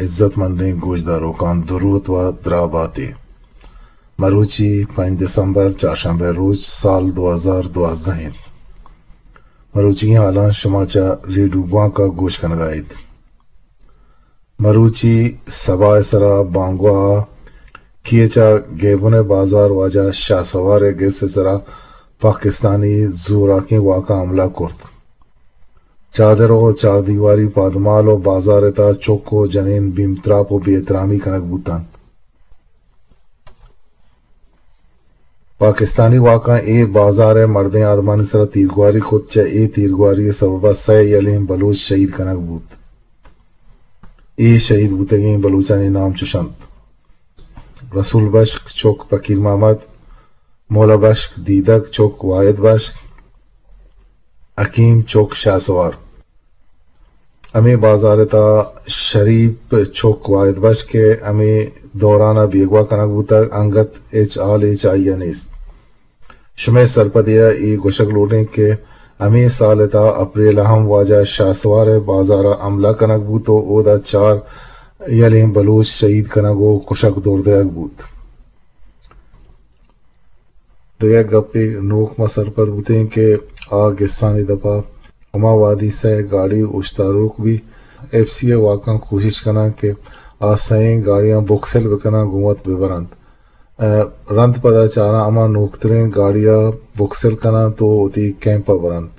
عزت مندیں گوشداروکاں دروت و دراہ باتے۔ مروچی پنچ دسمبر، چارشنبہ روچ، سال دو ہزار دوازدہ انت۔ مروچیگیں حالاں شما چہ ریڈیو گوانک ءَ گوش کنگ ءَ ات۔ مروچی سبا ءِ سرا بانگواہ ءَ کیچ ءَ گیبن ءِ بازار واجہ شاہ سوار ءِ گس ءِ سرا پاکستانی زوراکیں واکاں حملہ کرت۔ چادر ءُ چاردیواری پادمال ءُ بازار ءِ تہا چک ءُ جنین بیم تراپ ءُ بے احترامی کنگ بوت انت۔ پاکستانی واکاں اے بازار ءِ مردیں آدمانی سرا تیرگواری کت، چہ اے تیرگواری ءِ سبب ءَ سئے یلیں بلوچ شہید کنگ بوت۔ اے شہید بوتگیں بلوچانی نام چش انت: رسول بشک چک پکیر محمد، مولا بشک دیدگ چک واحد بشک، حکیم چک شاہ سوار۔ ہمے بازار ءِ تہا شریف چک واحد بشک ءِ ہمے دوران ءَ بیگواہ کنگ بوتگ، انگت ہچ حال ہچ آئی ءَ نیست۔ شمئے سرپدی ءَ اے گوشگ لوٹیں کہ ہمے سال ءِ تہا اپریل ءَ ہم واجہ شاہ سوار ءِ بازار ءَ حملہ کنگ بوت ءُ اودا چار یلیں بلوچ شہید کنگ ءُ کشگ دور دئیگ بوت۔ دگہ گپے نوک ما سرپد بوتیں کہ آ گسانی دپا ہما وہدی سئے گاڑی اوشتاروک بی، ایف سی ءِ واکاں کوشش کناں کہ آ سئیں گاڑیاں بکسل بکناں، گوں وت ببرنت۔ ءُ رند پدا چاراں ہما نوکتریں گاڑی ءَ بکسل کناں تو وتی کیمپ ءَ برنت۔